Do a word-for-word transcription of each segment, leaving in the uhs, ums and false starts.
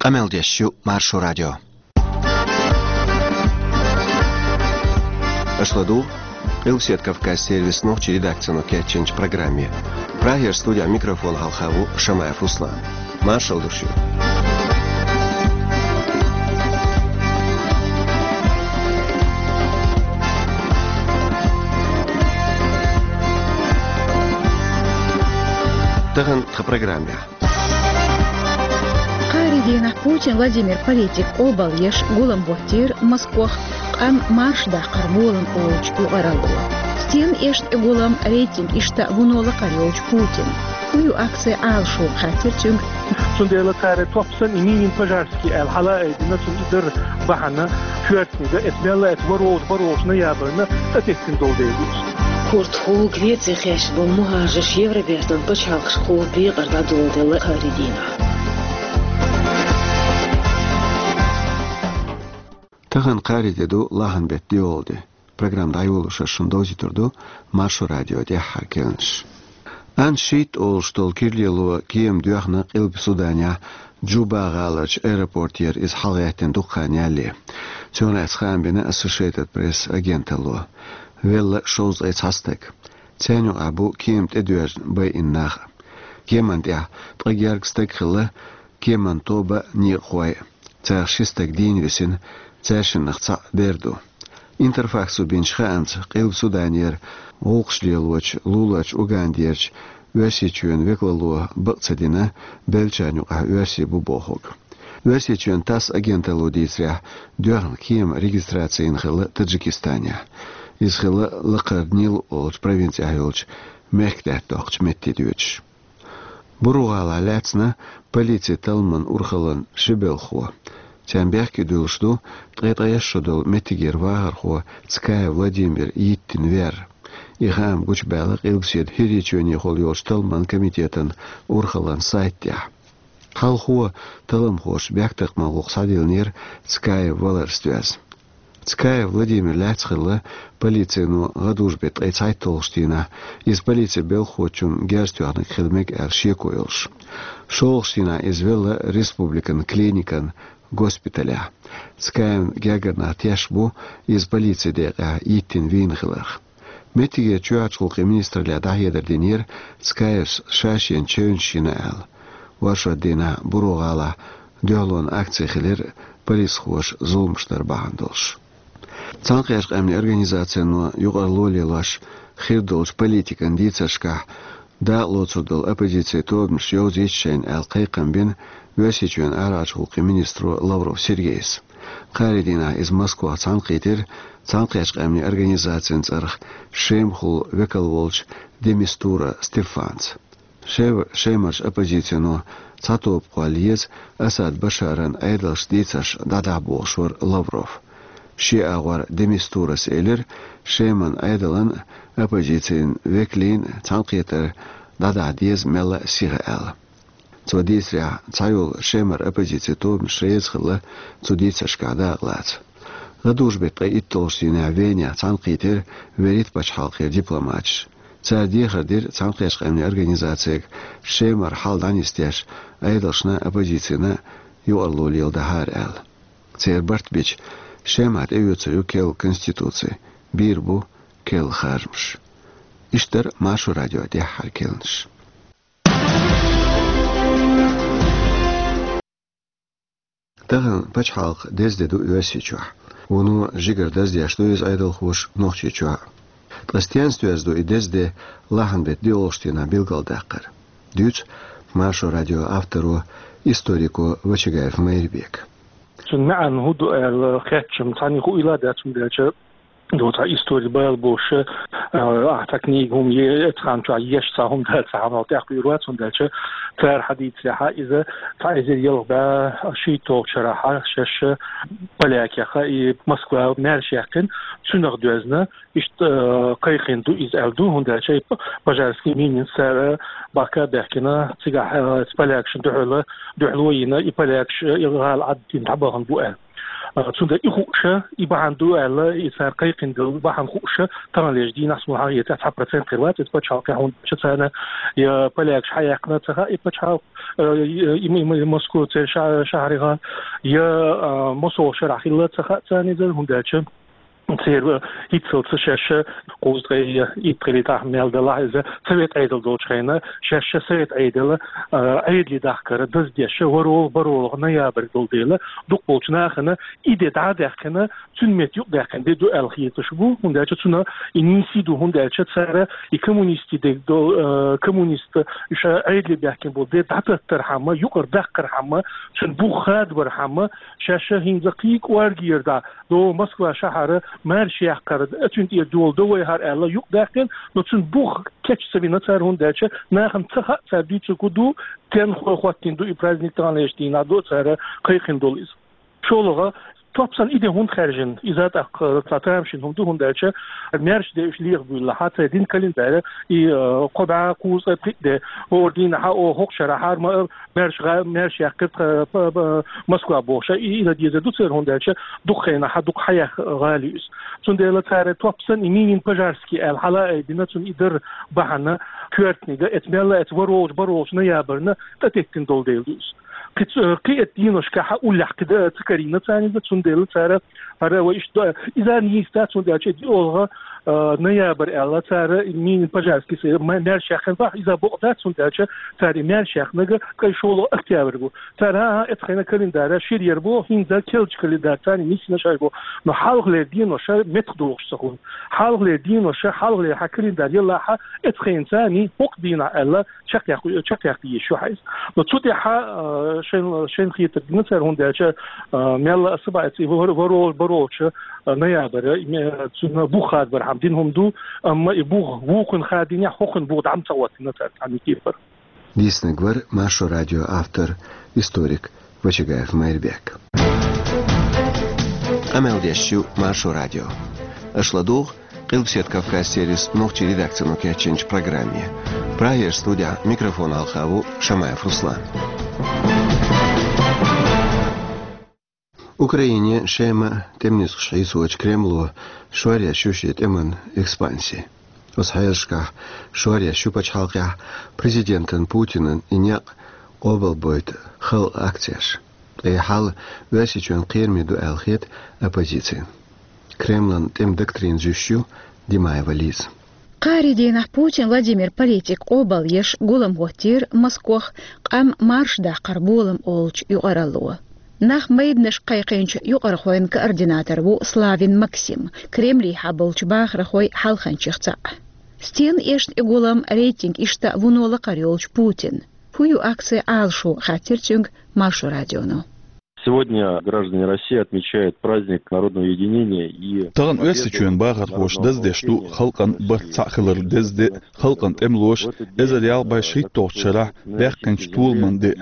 Къамел деш ю Маршо радио. Аша ладугӀу Къилбаседа Кавказан сервисан нохчийн редакцино кечйинчу программе. Прагера студехь микрофон хьалха ву Шамаев Руслан. Маршалла ду шуьга. Тахана тхан программехь. Кхаарин дийнахь Путин Владимира политика къобалъеш гулам боттийра Москвахь къам марша даккхар болам олучу юкъаралло. Стенна эшна тӀе гулам, рейтинг иштта вуно лакхара йолчу Путина. ХӀун ю акци Ӏалашо, хаьттира цуьнга. Цундела цара топ санна и мини-пожарский аьлла хьала а айдина, цунна и дара бахьана, коьртаниг а, эца мелла а эца варволчу, варволчунна ябарна, тӀететтина долу дела ду иза. Курдахула Греце хьаьжна болу мухӀажарш Евробертан пачхьалкхашкахула декъар дӀадоладелла кхаарин дийнахь. Тахана кхаарин де ду, лахьан беттан доьалгӀа де. Программа дӀайолош ас шуна довзуьйтур ду Маршо радион тӀаьххьара керланаш. Ан шийтта олуш долу кира лело кема доьхна Къилба Суданехь Джуба гӀаларчу аэропортера, иза хьалагӀаьттина дукха хан ялале. Цунах лаьцна хаам бина Associated Press агенталло. Велла шовзткъе цхьа стаг. Царна юкъахь бу кема тӀедоьжна байина нах. Кеман тӀехь ткъа гергга стаг хилла, кеман тоба некъахой. Царах ши стаг дийна висина, цаьршиннах цхьаъ бер ду. Интерфаксо бинчу хаамца, Къилба Суданера гӀуллакхаш лелочу луларчу Угандерчу Оьрсийчоьнан векалло бакъ ца дина, беллачарна юкъахь оьрсий бу бохург. Оьрсийчоьнан ТАСС агенталло дийцарехь, доьхна кема регистраци йина хилла Таджикистанехь. Иза хилла лакхара Нил олучу провинцехь йолчу мехкдаьтта доккхучу метте доьдуш. Буру-ГӀалахь лаьцна полицин талламан урхаллин ши белхахо. Царна бехке дуьллуш ду ткъе ткъайесна шо долу меттигера вахархо Цкаев Владимир йиттина вер. И хаам гучубаьлла Къилбаседа ХӀирийчоьнехула йолчу талламан комитетан урхаллин сайта тӀехь. Хьалхо талламхоша бехктакхаман гӀуллакх схьадиллинера Цкаев валарца доьзна. Цкаев Владимир лаьцна хилла полицино гӀадужу беттан ткъе цхьайтталгӀачу дийнахь, иза полицин белхахочунна герз тоьхнарг хила мега аьлла шеко йолуш. ШолгӀачу дийнахь иза велла республикан клиникан госпиталехь. Цкаевн гергара нах тешна бу иза полицин декъехь йиттина вийна хиларх. Меттигерчу чоьхьарчу гӀуллакхийн министралле дӀахьедар динера Цкаевс ша шена чевнаш йина аьлла. Оршот дийнахь Буру-ГӀалахь дуьхьалонан акци хилира полисхоша зуламаш дар бахьана долуш. Цхьаьнакхеттачу къаьмнийн организацино юкъаралло лелош хир долчу политикан дийцаршкахь дакъалоцур долу оппозицин тобанаш йовзийта шайна аьлла кхайкхам бина Оьрсийчоьнан арахьарчу гӀуллакхийн министро Лавров Сергейс. Кхаарин дийнахь иза Москвахь цхьаьнакхийтира Цхьаьнакхеттачу къаьмнийн организацин цӀарах Шемахула векал волчу де Мистура Стефанца. Шем-, Шемарчу оппозицино цхьа тоба кхолла еза Асад Башаран Ӏедалша дийцарш дӀадахьа бохуш вара Лавров. Шен агӀор де Мистурас элира, Шеман Ӏедалан а, оппозицин векалийн а цхьаьнакхетар дӀадахьа деза мелла а сиха аьлла. Цо дийцарехь, цхьайолу Шемара оппозицин тобанаш реза хилла цу дийцаршкахь дакъалаца. ГӀадужу беттан ткъе итталгӀачу дийнахь Венехь цхьаьнакхийтира Верит пачхьалкхера дипломаташ. Цара дехар дира Цхьаьнакхеттачу къаьмнийн организацига Шемара хьал дӀанисдеш, Ӏедалшна а, оппозицина а юкъаралло леладахьара аьлла. Церан барт бича, Шемахь тӀеоьцур ю керла конституци, бийр бу керла харжамаш. Иштта дара Маршо радион тӀаьххьара керланаш. Тахана пачхьалкхан деза де ду Оьрсийчохь. Вуно жигара даздеш ду иза Ӏедалхоша Нохчийчохь. Ткъа стенца доьзна ду и деза де лахьан беттан доьалгӀачу дийнахь билгалдаккхар? Дуьйцу Маршо радион авторо, историко Вачагаев Майрбека. Цуьнан маьӀна хӀун ду аьлла хеттачунна цхьанна хуийла дац, хӀунда аьлча ду цхьа истори бала бохуш, а, ахьа цхьа книга хӀума е-, эцхьан чохь еш цхьа хӀума дац, цхьа хьанал тӀехкхуьйр вац, хӀунда аьлча цара хьадийцарехь иза цхьа эзар ялх бӀе шийтталгӀачу шарахь шаьш полякех и Москва маьрша яьккхина, цуьнах доьзна, иштта, а, кхайкхина ду иза аьлла ду, хӀунда аьлча и пожарский минин цара бахка а баьхкина, цигахь, а, полякашна дуьхьал, дуьхьало а йина, и полякаш, и гӀала Ӏаддина дӀабахана бу аьлла. А, цундела и хууш, и бахьана ду аьлла, и цара кхайкхина долу бахьана хууш, таханлерчу дийнахь, муьлхха а цхьа процент хир вац иза пачхьалкхехь, хӀунда аьлча царна я полякаш хьаяьккхина ца хаьа и пачхьалкх, а, и, и, и, и Москва церан ша-, шахьарехь, я, а, массо а шарахь хилла ца хаьа царна иза, хӀунда аьлча церан, а, хӀинццалц шаьш кхузткъе итт хилийтахь мел далахь иза, совет Ӏедал долчу хенахь, шаьш совет Ӏедал, а, Ӏедале дахкар даздеш, ворхӀалгӀа, бархӀалгӀа ноябрь долу дела, дукхахболчу нахана и де дӀа а даьккхина, цуьнан метта юкъадаьккхина де ду аьлла хеташ бу, хӀунда аьлча цунах и нийса ду, хӀунда аьлча цара и коммунистийн де до-, э, коммунист, уьш Ӏедале баьхкина болу де дӀататтархьама, юкъара даккхархьама, цуьнан бух хадабархьама, шаьш хӀинца кхин а кӀоргера дӀа, до Москва шахьара маьрша яккхар, оцуьнан тӀера дола до вайхьара аьлла юкъадаьккхина, но цуьнан бух кеч ца вина цара, хӀунда аьлча нахана ца хаьа цара дуьйцург хӀун ду, стенна хӀоттийна ду и праздник таханлерчу дийнахь, ду цара кхайкхина долу иза. ШолгӀа, топ санна и де хӀунда хаьржина? Иза тӀаккха цхьа тамашийна хӀума ду, хӀунда аьлча маьрша де уьш леха буьйлалахь, церан динан календарь и, э, кхо бӀе кхузткъе пхиъ де, хӀора дийнахьа, о, хӀокху шарахьара ма-, маьрша гӀа-, маьрша яьккхира тха, п-, п-, Москва бохуш, и, и дан дезар ду церан, хӀунда аьлча дукха хенахь дукха хьаеха гӀала ю иза. Цундела цара топ санна и Минин-Пожарский аьлла хьала а айбина, цунна и дар бахьана коьртаниг, эцу мелла а, эцу ворхӀалгӀачу, бархӀалгӀачу ноябрьна тӀететтина долу дела ду иза. Кхин ц-, кхин а эцу деношкахь уллехь кхин дан а ца карийна царна иза, цундела цара хӀара вай иштта до-, иза нийса дац, хӀунда аьлча и диъолгӀа, а, ноябрь аьлла цара и Минин-Пожарский ма-, маьрша яьккхина бахьа, иза бакъ дац, хӀунда аьлча цара и маьрша яьккхинарг ткъе шолгӀа октябрь бу. Цара, хӀан-хӀа, эцу хенахь календарь шира яр бу, хӀинца керлачу календарь царна нисйина шаьш бу. Но хьалхалера денош меттах дохуш ца хуьлу. Хьалхалера денош, хьалхалера хьан календарь ялахь, эцу хенахь царна хӀокху дийнахь аьлла, чекхъяккха, чекхъяккха йиш ю хьан иза. Но цу тӀехь, а, шайн, шайн хетар дина цара, хӀунда аьлча, а, мелла а аса бац и вор-, ворхӀалгӀа, бархӀалгӀачу, а, ноябрь, и ме-, цуьнан бух хадабархьама дина хӀума ду, амма и бух вукхунна хадийнехь, хӀокхунна бух дӀа ма ца хӀоттийна цара цхьана кепара. Дийцинарг вара Маршо радион автор, историк Вачагаев Майрбек. Къамел деш ю Маршо радио. Аша ладугӀу Къилбаседа Кавказ сервисан нохчийн редакцино кечйинчу программе. Прагерчу студехь микрофон хьалха ву Шамаев Руслан. Украинин шеман тӀеман нисхаш хьийсочу Кремло шоръеш ю шен тӀеман экспанси. Оцу хьелашкахь шоръеш ю пачхьалкхехь президентан Путинан и некъ къобалбойту халкъан акцеш. Ткъа и хьал Оьрсийчоьнан кхераме ду аьлла хета оппозицина. Кремлан тӀеман доктрина зуьйш ю Димаева Лиза. Кхаарин дийнахь Путин Владимир политик къобалъеш гулам хӀоттийра Москох къам марша даккхар болам олучу юкъаралло. Нах майданашка кхайкхинчу юкъархойн координатор ву Славин Максим, Кремлехь болчу бахархойн хьалханчех цхьаъ. Стенна эшна и гулам, рейтинг иштта вуно лакхара йолчу Путинан? ХӀун ю акцин Ӏалашо, хаьттира цуьнга Маршо радионо. Сегодня граждане России отмечают праздник народного единения и Тахана Оьрсийчоьнан бахархоша даздеш ду халкъан барт цхьаъ хиларан деза де, халкъан тӀемалоша эзар ялх бӀе шийтталгӀачу шарахь баьккхинчу толаман де.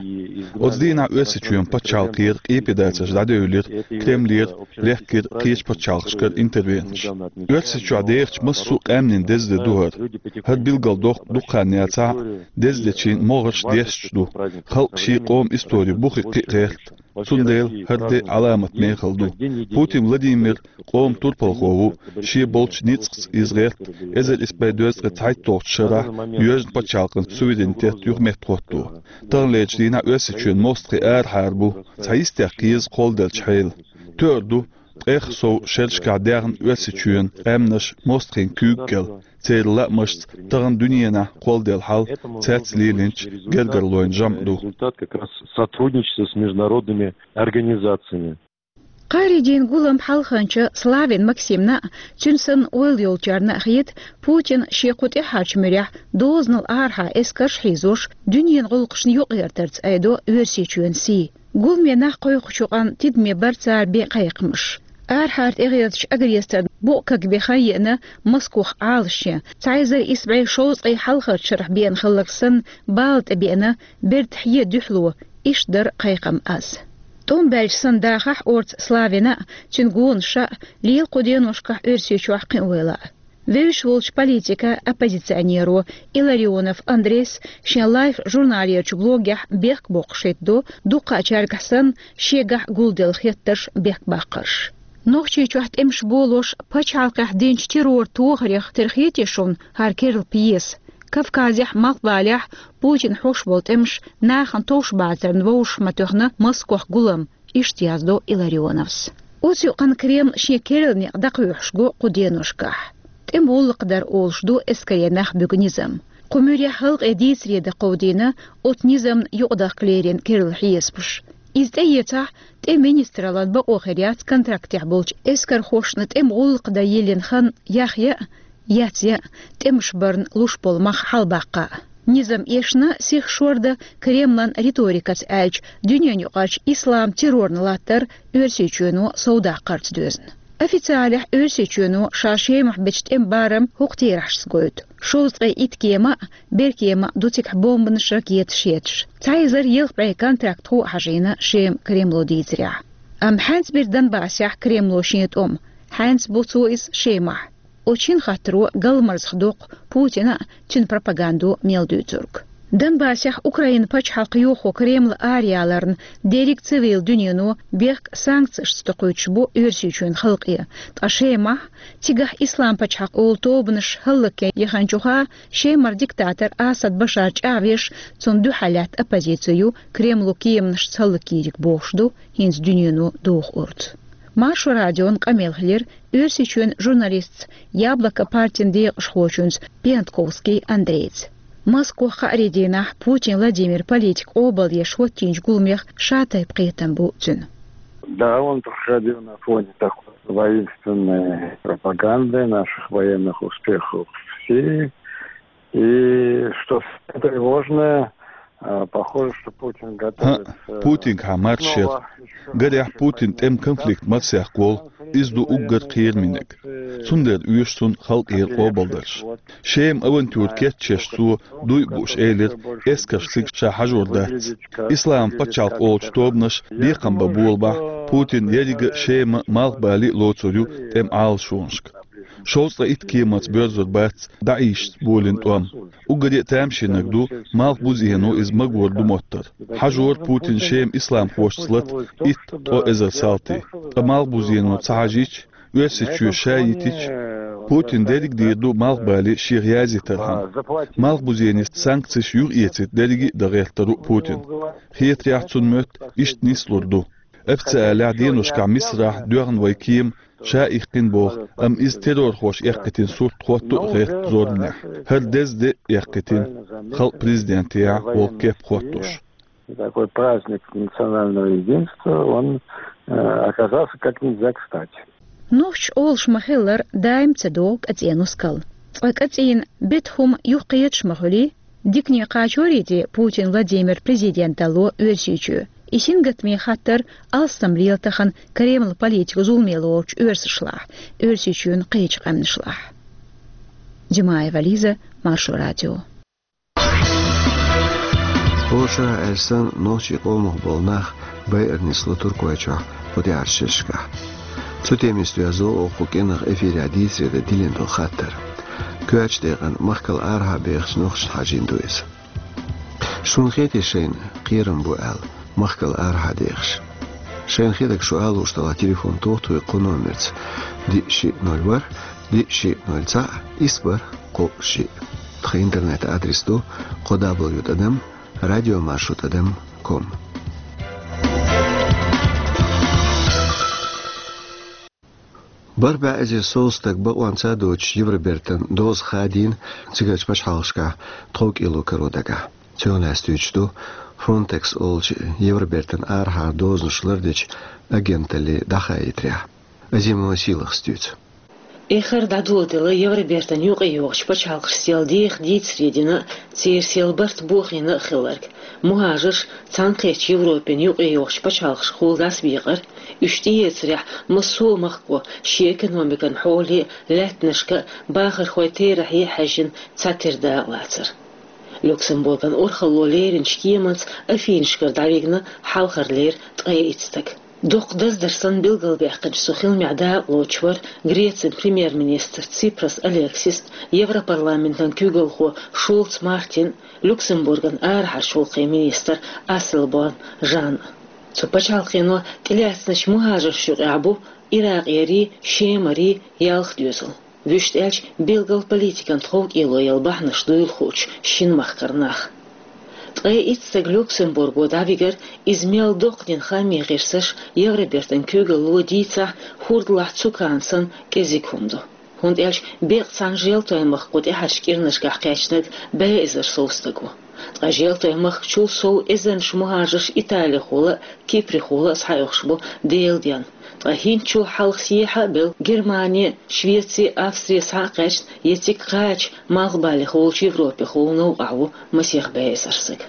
Оцу дийнахь Оьрсийчоьнан пачхьалкхера къепедацарш дӀадевлира Кремлера, лехкира кхечу пачхьалкхашкара интервенцеш. Оьрсийчохь дехачу массо а къаьмнийн деза де ду хӀара. ХӀара билгалдоккху дукха хан яцахь а, деза дечийн могӀарш дешча ду. Халкъ шен къоман истори бухе кхин а гӀерта. Цундела хӀара де Ӏаламат мехала ду. Путин Владимир къоман турпалхо ву, шен болчу ницкъаца иза гӀерта, эзар исс бӀе дезткъе цхьайтталгӀачу шарахь йоьжна пачхьалкхан суверенитет юха меттахӀотто. Таханлерчу дийнахь Оьрсийчоьнан мостагӀий арахьара бу, цхьа йистех кхеза кхолладелчу хьела. Тоьар ду, ткъех сов шерашкахь даьхна Оьрсийчоьнан къаьмнаш мостагӀийн куьйга кӀел. Церан лаамашца тахана дуьненахь кхолладелла хьал цаьрца лелийначу гергарлойн жамӀ ду. Результат как раз сотрудничества с международными организациями. Кхаарин дийнан гулам хьалханча Славин Максимна а, цуьнан санна ойла йолчарна а хета, Путин шен кху тӀаьхьарчу муьрехь дозанал арахьа эскарш а хьийзош, дуьненан гӀуллакхашна юкъагӀертарца айдо Оьрсийчоьнан сий. Гуламе нах кхойкхучу къан тидаме бара цара бен кхайкхамаш. Арахьара тӀегӀертачу агрессарна букъ кагбен хан еана Москох Ӏалашъян, цхьа эзар исс бӀе шовзткъе хьалхарчу шарахь беана хилларг санна, бала тӀебеана берда хье дуьхьало, иштта дара кхайкхам аз. ТӀом баьлча санна дахахь орца Славина а, цуьнан гонаша а лела кху деношкахь Оьрсийчохь кхиавелла а. Вевзаш волча политика оппозиционеро Илларионов Андрейс шен Life журналерчу блогехь бехк боккхуш хӀиттадо, дуккхачаьргахь санна, шегахь гулделла хеттарш, бехк баккхарш. Нохчийчохь тӀемаш болош пачхьалкхехь динчу террор тохарех тера хетий шуна хӀара керла пьеса? Кавказехь, малхбалехь Путина хьош болу тӀемаш нахана товш бацарна вовшах ма тоьхна Москох гулам, иштта яздо Илларионовс. Оцу юкъана Кремль шен керла некъ дӀакхоьхьуш го кху деношкахь. ТӀеман гӀуллакх дар олуш ду эскаре нах буьгу низам. Кху муьрехь халкъе дийцаре дан кховдийна оцу низамна юкъадахка лерина керла хьесапаш. Иза тӀеэцахь, тӀеман министраллан бакъо хир яц контрактехь болчу эскархошна тӀеман гӀуллакх дан йиллина хан яхъян а, яцъян а, тӀемаш барна луш болу мах хьалабаккха а. Низам эшна, сиха шордан Кремлан риторикаца аьлча, дуьненаюкъарчу ислам террорна латтар Оьрсийчоьно совдаккхарца доьзна. Официалехь Оьрсийчоьно ша Шемахь бечу тӀеман барам хӀокху терахьашца гойту: шовзткъе итт кема а, беркема а ду цигахь бомбанаш, ракеташ етташ. Цхьа эзар ялх бӀе контрактхо а хьажийна Шема Кремло дийцарехь. Амма хьаьнца бира Донбассехь Кремло шен тӀом, хьаьнца бу цо иза Шемахь. Оцу шина хаттаро галмазах доккху Путина а, цуьнан пропагандо мел дуьйцург. Донбассехь Украинан пачхьалкх йохо Кремль араяларна дерриг цивил дуьнено бехк санкцешца токхуьйтуш бу Оьрсийчоьнан халкъе, ткъа Шемахь, цигахь Ислам пачхьалкх олу тобанаш хӀаллакьян яханчуха, Шемара диктатор Асад Башар чӀагӀвеш, цунна дуьхьал лаьтта оппозици ю Кремло кеманашца хӀаллакйийриг бохуш ду хӀинца дуьнено доху орца. Маршо радион къамел хилира Оьрсийчоьнан журналистца, Яблоко партин декъашхочуьнца Пиантковский Андрейца. Москох хааре дийнахь Путин Владимир политик къобалдеш хӀоттийначу гуламех шатайпа кхетам бу цуьнан. Да, он проходил на фоне такой воинственной пропаганды наших военных успехов в Сирии. И что самое тревожное, а, похоже, что Путин ХӀаъ, готовится Путинга хьан марша яра. снова ещё Гарехь, Путин тӀеман конфликт марсаяккха волу, иза ду уггар кхераминарг. Цундела оьшу цунна халкъера къобалдарш. Шема авантюра кечъеш цо дуй а бууш элира, эскарш цига ша хьажор дац. Ислам пачхьалкх олучу тобанаш бекхам бан болабахь, Путин еррига а Шема а, малхбале а лоцур ю тӀеман Ӏалашонашка. Шовзткъе итт кеманца боьрзур бац ДАИШца болийна тӀом. Уггаре а тамашийнарг ду малхбузено иза магор ду моттар. Хьажора Путина Шема исламхошца лата итт-ткъа эзар салти. Ткъа малхбузено ца хьажийча, Оьрсийчоь ша йитича, Путина дерриг а дийр ду малхбале шех язйитархьама. Малхбузене санкцеш юхаэцийта дерриге а дан гӀертар ву Путина. Хетарехь, цунна моьтту иштта нислур ду. Официалехь деношкахь Мисарахь доьгӀна вайн кема ша иккхина боху, амма иза террорхоша эккхийтина сурт хӀотто а гӀерта зорбанехь. ХӀара деза де а эккхийтина, халкъан президентехь волу кеп хӀоттош. И такой праздник национального единства, он, э, оказался как нельзя кстати. Нохчаша олуш ма-хиллара, даим ца догӀу кӀацӀен нускал. Цкъа кӀацӀийна бета хӀума юхакхеташ ма хуьлий, дикане кхачорий те Путин Владимир президент далло Оьрсийчоь? И сингаттаме хаттар алсам лела тахана Кремлан политика зуламе лоручу оьрсашлахь, Оьрсийчоьнан кхечу къаьмнашлахь. Димаева Лиза, Маршо радио. Польшахь аьлла санна, нохчийн къомах болу нах байар нисло Туркойчохь кху тӀаьхьарчу шерашкахь. Цу темиста доьзна оха кху кӀиранах эфирехь дийцаре дан диллина долу хаттар. Коьртачу декъана махкал арахьа бехачу нохчашна хьажийна ду иза. Шуна хетий шайна кхерам бу аьлла, махкал арахьа дехаш? Шайна хетарг шу ала лууш делахь, телефон тоха тхоьга кху номерца: диъ шиъ ноль ворхӀ, диъ шиъ ноль цхьаъ, исс бархӀ кхоъ шиъ. Тхан интернет-адрес ду кхо дабл ю тӀадам радиомаршо тӀадам ком. БархӀ бӀе эзар сов стаг бакъонца доцуш Евробертан доза хадийна цигарчу пачхьалкхашкахь тхов кӀело каро дагахь. Цунах лаьцна дуьйцуш ду Фронтекс олучу Евробертан арахьара дозанаш лардечу агенталлин дӀахаийтарехь. Азимова Сийлахас дуьйцу. Эххар дӀадоладелла Евробертан юкъайогӀучу пачхьалкхашца сел деха дийцаре дина, церан сел барт бохийна а хилларг. Мухажарш цхьаьнакхеттачу Европин юкъайогӀучу пачхьалкхашкахула дӀасабекъар, уьш тӀеэцарехь массо а махко шен экономикан хьоле, лаьттанашка а, бахархойн терахье а хьаьжжина цхьатерра дакъалацар. Люксембурган урхалло леринчу кеманца Афинашкара дӀавигна хьалхарлера ткъе итт стаг. Дукха даздар санна билгалбаьккхинчу цу хиламехь дакъалоцуш вара Грецин премьер-министр Ципрас Алексис, Европарламентан куьйгалхо Шулц Мартин, Люксембурган арахьарчу гӀуллакхийн министр Асселборн Жан. Цу пачхьалкхено тӀелаьцначу мухӀажаршна юкъахь бу Иракъерий, Шемарий ялх доьзал. Вуьшта аьлча, билггал политикан тховкӀело яла бахьанаш дуйла хуучу шина махкара нах. Ткъе итт стаг Люксембурго дӀавигар, иза мел доккха дина хам хьийсаш, Евробертан куьйгалло дийцахь, хӀордалахь цукана санна кӀезиг хӀума ду. ХӀунда аьлча беккъа цхьана желтойн махко тӀаьхьарчу кӀирнашкахь кхаьчнарг бӀе эзар сов стаг ву. Ткъа желтойн махкачул сов эзарнаш мухӀажарш италихула а, киприхула а схьаоьхуш бу Делан денна. Ткъа хӀинцачул хьалха сехьа а белла, Германи, Швеци, Австри схьа а кхаьчна, я цига кхача, малхбалех волчу Европехула новкъахь ву масех бӀе эзар стаг.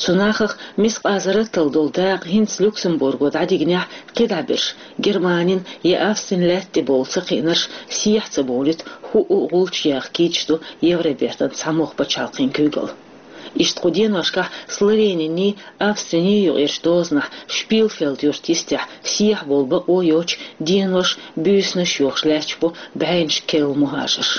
Цу нахах мискъазарраттал долу дакъа хӀинца Люксембурго дӀадигнехь, кхидӀа берш, Германин я Австрин лаьтта тӀе бовла ца кхиънарш, сехьа ца бовлийта, хӀуъу а гӀулч яха кийча ду Евробертан цхьамогӀа пачхьалкхийн куьйгалла. Иштта кху деношкахь Словениний, Австриний юкъерчу дозанахь Шпилфелд-юрт йистехь сехьа бовла бакъо йоцуш, денош, буьйсанаш йохуш лаьтташ бу бӀеннаш керла мухӀажарш.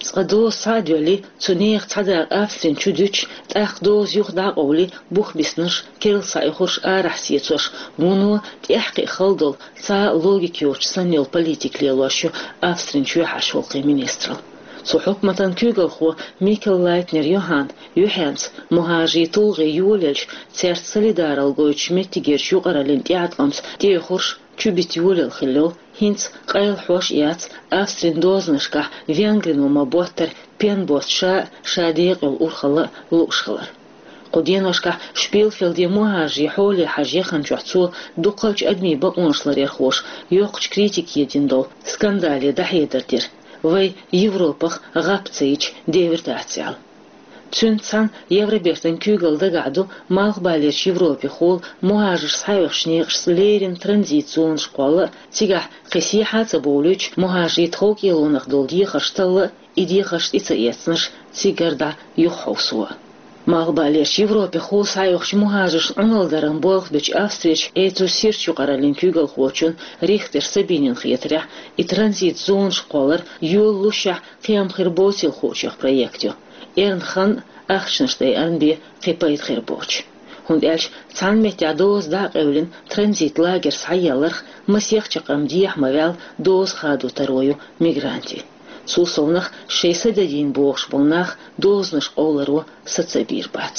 Цкъа доза схьа а доьллий, цу нехан цхьа дакъа Австрин чу дуьтуш, тӀаккха доза юха дӀа а къовлий, бух биснарш, керла схьаоьхурш арахь сецош, вуно тӀаьхьакхиа хала долу, цхьа а логика йоцуш санна йолу политика лелош ю Австрин чоьхьарчу гӀуллакхийн министралла. Цу хьукматан куьйгалхо Микел Лайтнер Йоханна юьхьенца мухӀажарийн тулгӀе йолаелча, цаьрца солидаралла гойтучу меттигерчу юкъараллин тӀеӀаткъамца тӀеоьхурш чубита йолаелла хилла йолу, хӀинца къайлахьош а яц, Австрин дозанашкахь Венгрино ма-боттара пен боцу ша а, ша декъа йолу урхалла а лууш хилар. Кху деношкахь Шпилфелде мухӀажарийн хьоле хьажа яханчохь цо дукхалчу адамийн бакъонаш ларъярхоша йоккхачу критике дина долу скандале дӀахьедар дира, вай Европах гӀап ца йича девр дац аьлла. Цуьнца цхьаьна Евробертан куьйгалла дагахь ду малхбалерчу Европехула мухӀажарш схьаоьхучу некъашца леррина транзит зонаш кхолла а, цигахь кхин сехьа а ца бовлуьйтуш, мухӀажарийн тховкӀелонах долу дехарш талла а, и дехарш тӀе ца эцнарш цигара дӀа юхахьовсо а. Малхбалерчу Европехула схьаоьхучу мухӀажаршна Ӏуналла даран болх бечу Австрерчу, эцу сирчу юкъараллин куьйгалхочун Рихтер Сабинин хетарехь, и транзит зонаш кхоллар йолалушехь кхин хир боцийла хуучех проект ю. Эрна хан а, ахчанаш дайарна бен кхин пайда хир боцуш. ХӀунда аьлча цхьана меттехь доза дӀа а къевлина, транзит лагерь схьаелларх масех чаккхарма дехьа ма ваьлла, доза хадо таро ю мигрантийн. Цул совнах шайн са дадийна бохуш болу нах дозанаш къовларо са ца бийр бац.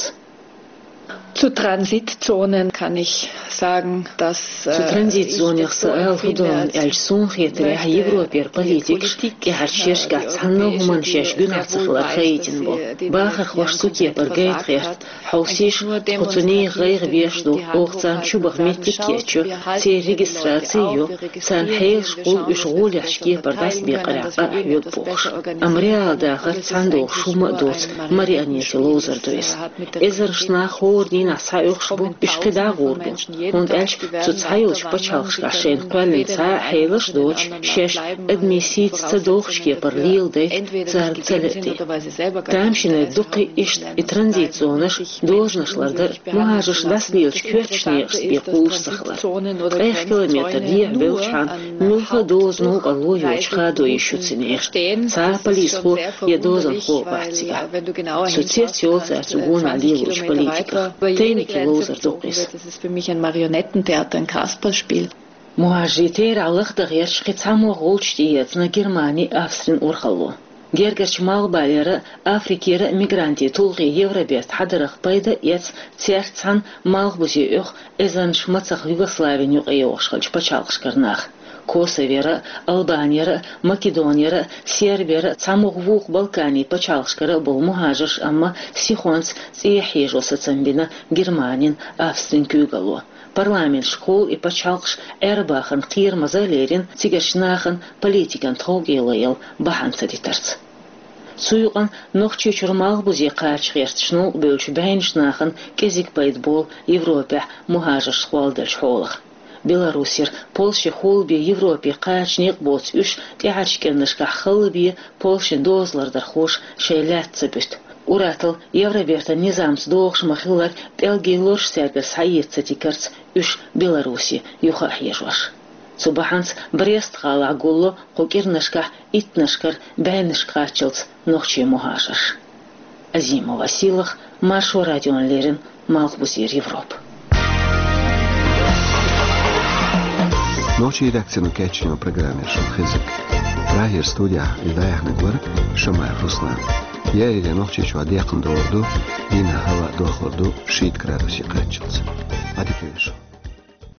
Zu Transitzonen kann ich sagen, dass Цу транзит зонех сан ала хӀун ду аьлча, суна хетарехь, Европера политикаш тӀаьхьарчу шерашкахь цхьанна а хӀуманна шаьш гуьнахь ца хилар хаийтина бу. Бахархоша цу кепара гайта гӀерта, хьовсийша, тхо цу нехан гӀайгӀа беш ду, оха царна чубаха меттиг а кечйо, церан регистраци а йо, царна хьелаш кхуллу уьш гӀолехьчу кепара дӀасабекъарехь къа а хьоьгу бохуш. Амма реал дахар цхьаьна догӀуш хӀумма а доцу марионетийн ловзар ду иза. Эзарнаш нах хӀора дийнахь схьаоьхуш бу, уьш кхидӀа а гӀур бу. ХӀунда аьлча цу цхьайолчу пачхьалкхашкахь шайна кхоьллина цхьа а хьелаш а доцуш, шаьш адамийн сийца ца дохучу кепара леладайта царна ца лаьа де. Тамашийна дуккха а иштта и транзит зонаш, дозанаш лардар, мухӀажарш дӀасалелачу коьртачу некъашца бен кхуллуш ца хилар. Ткъех километр дехьа бевллачхьана муьлхха а дозано а новкъарло йоцуш хадо йиш ю цу нехан. Цхьа а полисхо я дозанхо а бац цигахь. Со цец йолу цара цу гонахь лелочу политиках. Тайники ловзар ду-кх иза. Das ist für mich ein Marionettentheater, ein Kasperlspiel. МухӀажарийн терахь лахдан гӀерташ кхин цхьаммо гӀулчаш тӀеэцна Германи, Австрин урхалло. Гергарчу Малхбалера а, Африкера а мигрантийн тулгӀе Евроберта хьадарах пайда а эцна, цаьрца цхьаьна малхбузе оьху эзарнаш мацах Югославин юкъайогӀуш хиллачу пачхьалкхашкара нах. Косовера а, Албанера а, Македонера а, Сербера а, цхьаммо вукху Балканийн пачхьалкхашкара а болу мухӀажарш амма сихонца цӀехьа хьежо сацам бина Германин, Австрин куьйгалло. Парламенташкахула и пачхьалкхаш Ӏер-бахарна кхерамаза а лерина, цигарчу нахана политикан тховкӀело яла бахьана ца дитарца. Цу юкъана Нохчийчуьра малхбузе кхача гӀерташ новкъабевллачу бӀеннаш нахана кӀезиг пайда болу Европехь мухӀажарш кхолладеллачу хьолах. Белоруссера, Польшехула бен Европе кхача некъ боцу уьш тӀаьхьарчу кӀирнашкахь халла бен Польшин доза лардархоша шайн лаьтта ца буьту. Ураатал Евробертан низамца догӀуш ма-хиллара, пӀелгийн лораш цаьргара схьаэца ца тигарца уьш Беларусе юха а хьежош. Цу бахьанца Брест-гӀалахь гулло кху кӀирнашкахь иттаннашкара бӀеннашка кхаччалц нохчий мухӀажарш. Азимова Сийлаха, Маршо радиона леррина, Малхбузера Европа. Нохчийн редакцино кечйина программа яра шуна хезарг. Прагера студехь и дӀаяьхьнарг вара Шамаев Руслан. Еарин Нохчийчохь декхна догӀур ду, дийнахь хӀаваъ дохлур ду шийтта градусе кхаччалц. Ӏадика йойла шун.